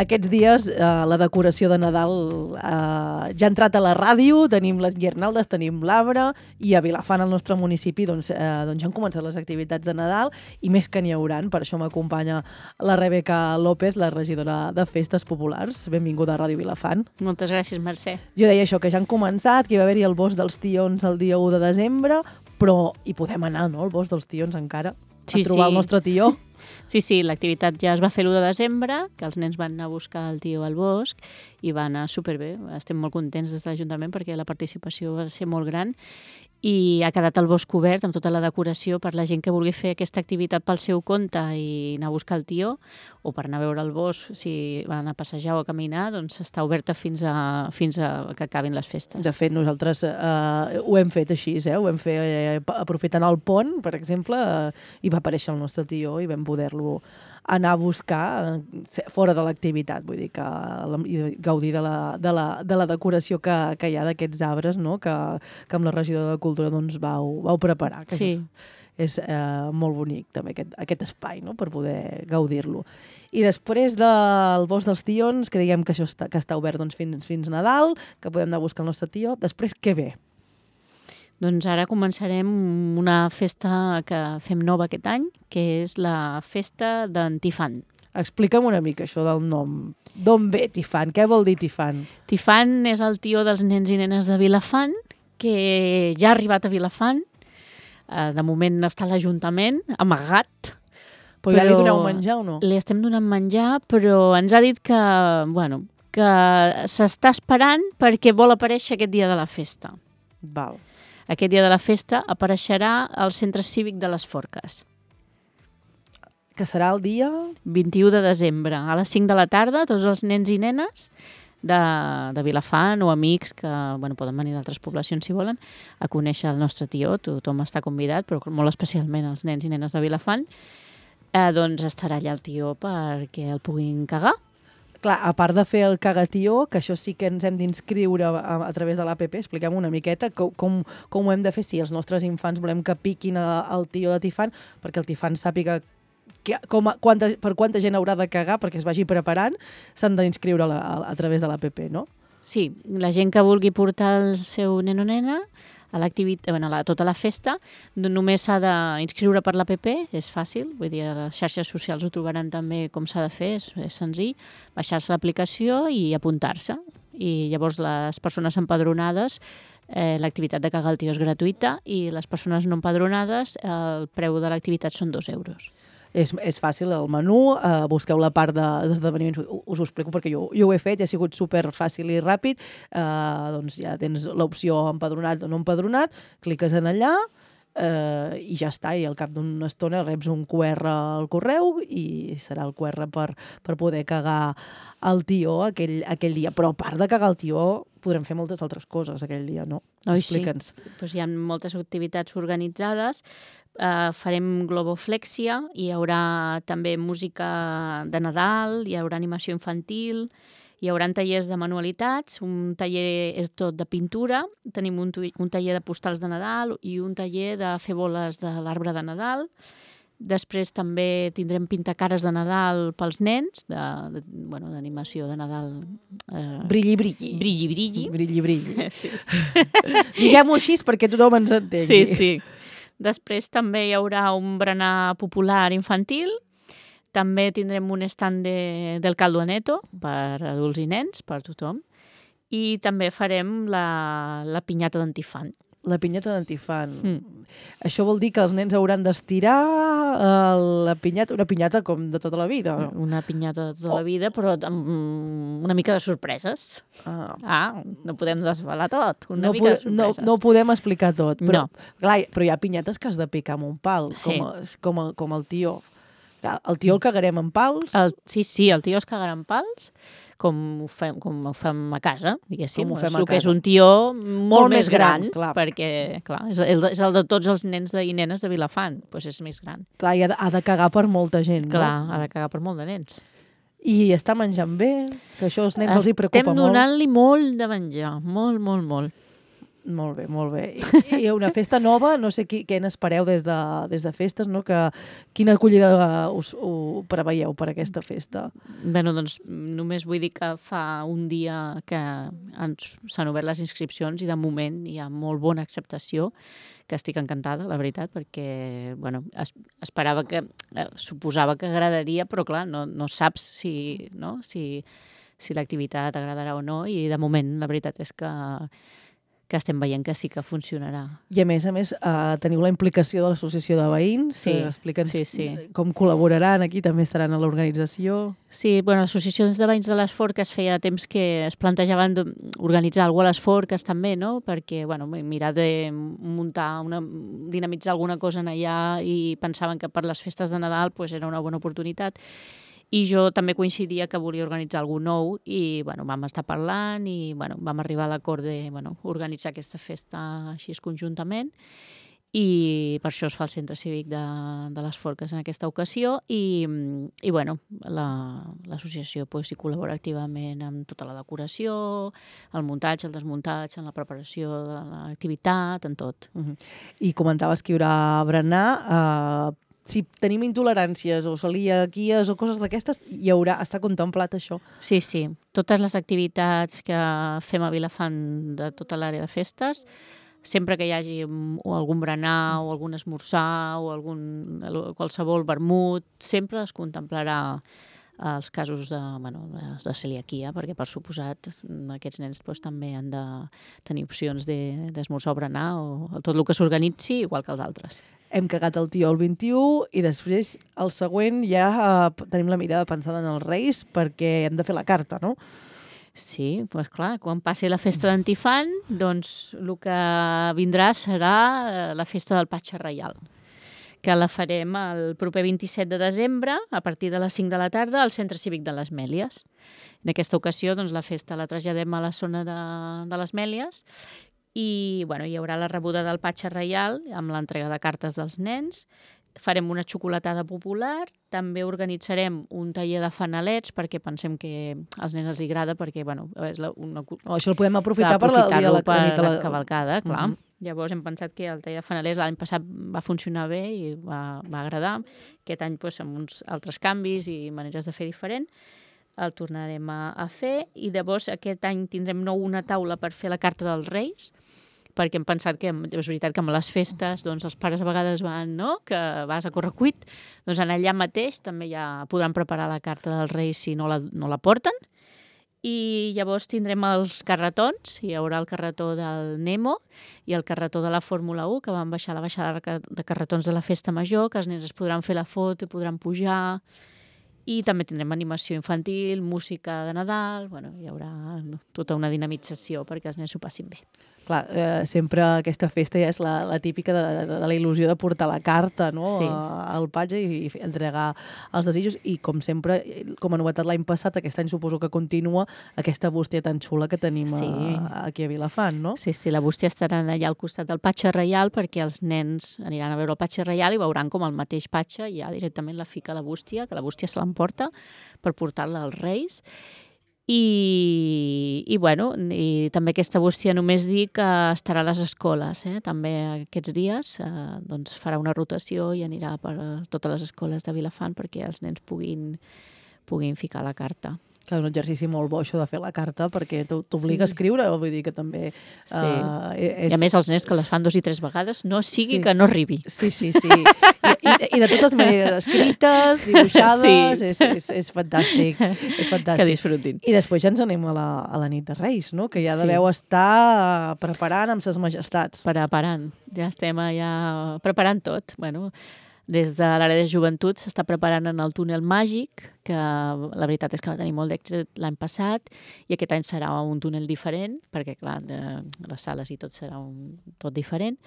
Aquests dies la decoració de Nadal ja ha entrat a la ràdio, tenim les guirnaldes, tenim l'arbre, i a Vilafant, al nostre municipi, doncs ja han començat les activitats de Nadal, i més que n'hi hauran. Per això m'acompanya la Rebeca López, la regidora de Festes Populars. Benvinguda a Ràdio Vilafant. Moltes gràcies, Mercè. Jo deia això, que ja han començat, que hi va haver-hi el Bosc dels Tions el dia 1 de desembre, però hi podem anar, no?, al Bosc dels Tions encara, a trobar el nostre tió. Sí, l'activitat ja es va fer l'1 de desembre, que els nens van anar a buscar el tió al bosc i va anar superbé. Estem molt contents des de l'Ajuntament perquè la participació va ser molt gran i ha quedat el bosc obert amb tota la decoració per la gent que vulgui fer aquesta activitat pel seu compte i anar a buscar el tió, o per anar a veure el bosc, si van a passejar o a caminar, doncs està oberta fins a que acabin les festes. De fet, nosaltres ho hem fet així, ho hem fet aprofitant el pont, per exemple, i va aparèixer el nostre tió i vam poder-lo anar a buscar fora de l'activitat, vull dir que gaudir de la decoració que hi ha d'aquests arbres, no?, que amb la regidora de Cultura doncs vau preparar. Que sí. És molt bonic també aquest espai, no?, per poder gaudir-lo. I després del Bosc dels Tions, que diguem que això està obert doncs, fins Nadal, que podem anar a buscar el nostre tió, després què ve? Doncs ara començarem una festa que fem nova aquest any, que és la festa d'en Tifant. Explica'm una mica això del nom. D'on ve Tifant? Què vol dir Tifant? Tifant és el tió dels nens i nenes de Vilafant, que ja ha arribat a Vilafant. De moment està a l'Ajuntament, amagat. Però ja li doneu menjar o no? Li estem donant menjar, però ens ha dit que s'està esperant perquè vol aparèixer aquest dia de la festa. Val. Aquest dia de la festa apareixerà al Centre Cívic de les Forques. Que serà el dia? 21 de desembre, a les 5 de la tarda, tots els nens i nenes de Vilafant o amics que poden venir d'altres poblacions si volen a conèixer el nostre tió. Tothom està convidat, però molt especialment els nens i nenes de Vilafant. Doncs estarà allà el tió perquè el puguin cagar. Clar, a part de fer el cagatió, que això sí que ens hem d'inscriure a través de l'APP, expliquem una miqueta com ho hem de fer si els nostres infants volem que piquin el tió de Tifant, perquè el Tifant sàpiga per quanta gent haurà de cagar perquè es vagi preparant, s'han d'inscriure a través de l'APP, no? Sí, la gent que vulgui portar el seu nen o nena a l'activitat, tota la festa, només s'ha d'inscriure per l'APP, és fàcil, vull dir, a les xarxes socials ho trobaran també com s'ha de fer, és senzill, baixar-se l'aplicació i apuntar-se. I llavors les persones empadronades, l'activitat de cagar al tió és gratuïta i les persones no empadronades, el preu de l'activitat són 2 euros. És fàcil, el menú, busqueu la part d'esdeveniments, us ho explico perquè jo ho he fet i ha sigut super fàcil i ràpid, doncs ja tens l'opció empadronat o no empadronat, cliques en allà i ja està, i al cap d'una estona reps un QR al correu i serà el QR per poder cagar el tió aquell dia. Però a part de cagar el tió podrem fer moltes altres coses aquell dia, no? Explica'ns. Sí, doncs hi ha moltes activitats organitzades. Farem globoflexia, hi haurà també música de Nadal, hi haurà animació infantil, hi haurà tallers de manualitats, un taller és tot de pintura, tenim un taller de postals de Nadal i un taller de fer boles de l'arbre de Nadal. Després també tindrem pintacares de Nadal pels nens, d'animació de Nadal. Brilli, brilli. Brilli, brilli. Brilli, brilli. Sí. Diguem-ho així perquè tothom ens entengui. Sí. Després també hi haurà un berenar popular infantil, també tindrem un stand del caldo aneto per adults i nens, per tothom, i també farem la pinyata d'Antifant. La pinyata d'Antifant. Això vol dir que els nens hauran d'estirar una pinyata com de tota la vida. Una pinyata de tota la vida, però amb una mica de sorpreses. No podem desvelar tot. Una mica de sorpreses. No ho podem explicar tot. Però, no. Clar, però hi ha pinyates que has de picar amb un pal, com el tió. El tió el cagarem amb pals? Sí, el tió es cagarà amb pals, com ho fem a casa, diguéssim. Que és un tió molt més gran, clar. Perquè clar, és el de tots els nens i nenes de Vilafant, doncs és més gran. Clar, i ha de cagar per molta gent, no? Clar, ha de cagar per molt de nens. I està menjant bé? Que això als nens els hi preocupa molt? Estem donant-li molt de menjar, molt, molt, molt. Molt bé, molt bé. I una festa nova, no sé què n'espereu des de festes, no? Quina acollida ho preveieu per aquesta festa? Bé, doncs només vull dir que fa un dia que s'han obert les inscripcions i de moment hi ha molt bona acceptació, que estic encantada, la veritat, perquè esperava que, suposava que agradaria, però clar, no saps si l'activitat agradarà o no, i de moment la veritat és que estem veient que sí que funcionarà. I a més, teniu la implicació de l'associació de veïns. Sí, explica'ns sí. Com col·laboraran aquí, també estaran a l'organització. Sí, l'associació de veïns de les Forques feia temps que es plantejaven organitzar alguna cosa a les Forques també, no? Perquè mirar de dinamitzar alguna cosa en allà, i pensaven que per les festes de Nadal era una bona oportunitat. I jo també coincidia que volia organitzar alguna nou i vam estar parlant i vam arribar a l'acord d'organitzar aquesta festa així conjuntament, i per això es fa el Centre Cívic de les Forques en aquesta ocasió, i l'associació hi col·labora activament amb tota la decoració, el muntatge, el desmuntatge, en la preparació de l'activitat, en tot. I comentaves que hi haurà berenar. Si tenim intoleràncies o celiaquies o coses d'aquestes, està contemplat això? Sí. Totes les activitats que fem a Vilafant de tota l'àrea de festes, sempre que hi hagi algun berenar o algun esmorzar o qualsevol vermut, sempre es contemplarà els casos de celiaquia, perquè per suposat aquests nens també han de tenir opcions d'esmorzar o berenar o tot el que s'organitzi, igual que els altres. Hem cagat el tió el 21 i després el següent ja tenim la mirada pensada en els Reis, perquè hem de fer la carta, no? Sí, doncs clar, quan passi la festa d'Antifant, doncs el que vindrà serà la festa del Patge Reial, que la farem el proper 27 de desembre, a partir de les 5 de la tarda, al Centre Cívic de les Mèlies. En aquesta ocasió, la festa la traslladem a la zona de les Mèlies, i hi haurà la rebuda del Patge Reial amb l'entrega de cartes dels nens. Farem una xocolatada popular, també organitzarem un taller de fanalets, perquè pensem que als nens els agrada, perquè és això el podem aprofitar per la cavalcada, clar. Llavors hem pensat que el taller de fanalets l'any passat va funcionar bé i va agradar. Aquest any amb uns altres canvis i maneres de fer diferent el tornarem a fer, i llavors aquest any tindrem una taula per fer la carta dels Reis, perquè hem pensat que és veritat que amb les festes els pares a vegades van, que vas a correcuit, doncs allà mateix també ja podran preparar la carta dels Reis si no la porten. I llavors tindrem els carretons, hi haurà el carretó del Nemo i el carretó de la Fórmula 1, que van baixar la baixada de carretons de la Festa Major, que els nens es podran fer la foto i podran pujar. I també tindrem animació infantil, música de Nadal, hi haurà tota una dinamització perquè els nens s'ho passin bé. Clar, sempre aquesta festa ja és la típica de la il·lusió de portar la carta, no? Sí. Al patge i entregar els desitjos, i com sempre, com a novetat l'any passat, aquest any suposo que continua aquesta bústia tan xula que tenim aquí a Vilafant, no? Sí, la bústia estarà allà al costat del Patge Reial, perquè els nens aniran a veure el Patge Reial i veuran com el mateix patge ja directament la fica a la bústia, que la bústia se l'emporta per portar-la als Reis. I també aquesta bústia només dir que estarà a les escoles, també aquests dies, farà una rotació i anirà per totes les escoles de Vilafant perquè els nens puguin ficar la carta. Que és un exercici molt bo, això de fer la carta, perquè t'obliga a escriure, vull dir que també... I a més els nens que les fan 2 i 3 vegades, no sigui que no arribi. Sí. I de totes maneres, escrites, dibuixades, és fantàstic. És fantàstic. Que disfrutin. I després ja ens anem a la nit de Reis, no? Que ja deveu estar preparant amb ses majestats. Preparant. Ja estem preparant tot. Des de l'àrea de joventut s'està preparant en el túnel màgic, que la veritat és que va tenir molt d'èxit l'any passat, i aquest any serà un túnel diferent, perquè clar, les sales i tot serà tot diferent,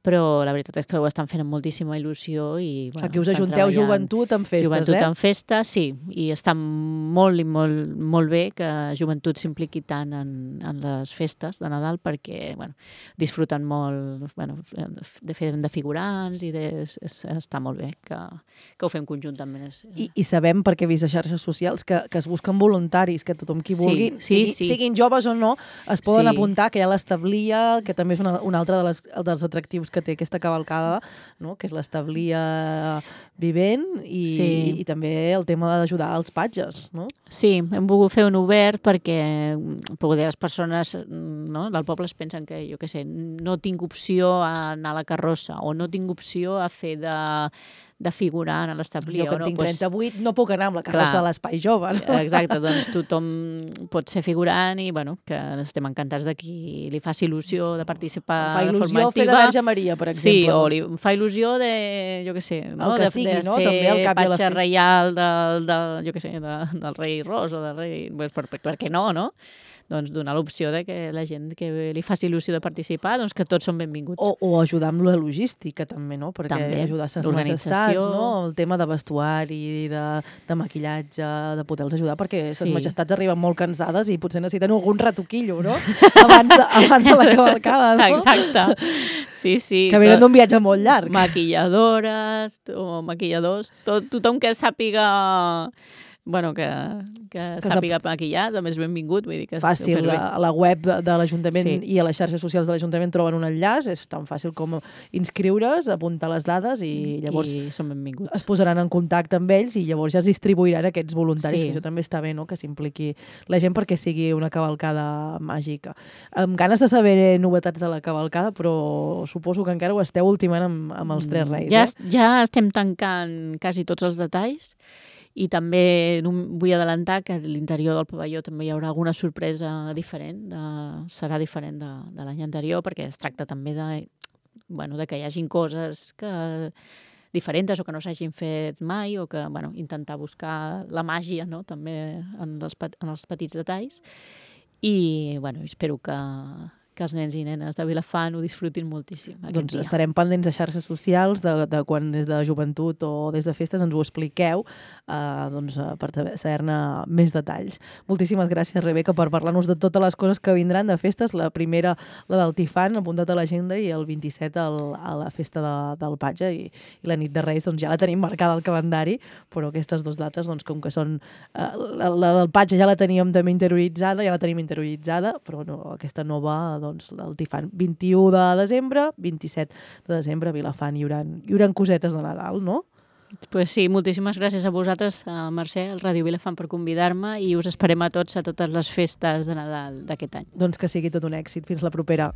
però la veritat és que ho estan fent amb moltíssima il·lusió i, bueno, aquí us ajunteu joventut amb festes, joventut amb festes, sí, i està molt i molt bé que joventut s'impliqui tant en les festes de Nadal perquè, bueno, disfruten molt, bueno, de fer de figurants i està molt bé que ho fem conjuntament. I sabem, perquè he vist a xarxes socials, que es busquen voluntaris, que tothom qui vulgui, siguin joves o no, es poden apuntar, que hi ha l'establia, que també és un altre dels atractius que té aquesta cavalcada, no? Que és l'establia vivent i també el tema d'ajudar als patges, no? Sí, hem volgut fer un obert perquè poder les persones, no, del poble es pensen que, jo què sé, no tinc opció a anar a la carrossa o no tinc opció a fer de figurant a l'establia. Jo que tinc 38 no puc anar amb la carrossa de l'Espai Jove. No? Exacte, doncs tothom pot ser figurant i, bueno, que estem encantats de qui li faci il·lusió de participar de forma activa. Fa il·lusió fer de Verge Maria, per exemple. Sí, o li fa il·lusió de, jo què sé, no? El que sigui, no? També al cap i a la fi. De ser patge reial jo què sé, del rei Ros o del rei... Per què no, no? Doncs donar l'opció de que la gent que li faci il·lusió de participar, doncs que tots són benvinguts. O ajudar amb la logística, també, no? Perquè també, ajudar a les majestats, no? El tema de vestuari, de maquillatge, de poder-los ajudar, perquè les majestats arriben molt cansades i potser necessiten algun retoquillo, no? Abans de la cavalcada, no? Exacte. Sí. Que venen d'un viatge molt llarg. Maquilladores o maquilladors, tothom que sàpiga... Bueno, que sàpiga maquillar, també és benvingut. Vull dir que fàcil, a la web de l'Ajuntament i a les xarxes socials de l'Ajuntament troben un enllaç, és tan fàcil com inscriure's, apuntar les dades i llavors són benvinguts. Es posaran en contacte amb ells i llavors ja es distribuiran aquests voluntaris, que això també està bé, no? Que s'impliqui la gent perquè sigui una cavalcada màgica. Amb ganes de saber novetats de la cavalcada, però suposo que encara ho esteu ultimant amb els Tres Reis. Ja estem tancant quasi tots els detalls. I també vull adelantar que a l'interior del pavelló també hi haurà alguna sorpresa diferent, serà diferent de l'any anterior, perquè es tracta també de que hi hagin coses diferents o que no s'hagin fet mai o que intentar buscar la màgia, no? També en els petits detalls. I espero que els nens i nenes de Vilafant ho disfrutin moltíssim aquest dia. Estarem pendents a xarxes socials de quan des de joventut o des de festes ens ho expliqueu per saber-ne més detalls. Moltíssimes gràcies, Rebeca, per parlar-nos de totes les coses que vindran de festes. La primera, la del Tifant, apuntat a l'agenda, i el 27 a la festa del Patge i la nit de Reis ja la tenim marcada al calendari, però aquestes dues dates, com que són... La del Patge ja la teníem també interioritzada, però aquesta nova... el Tifant, 21 de desembre, 27 de desembre a Vilafant hi haurà cosetes de Nadal, no? Pues sí, moltíssimes gràcies a vosaltres, a Mercè, al Ràdio Vilafant, per convidar-me i us esperem a tots a totes les festes de Nadal d'aquest any. Doncs que sigui tot un èxit. Fins la propera.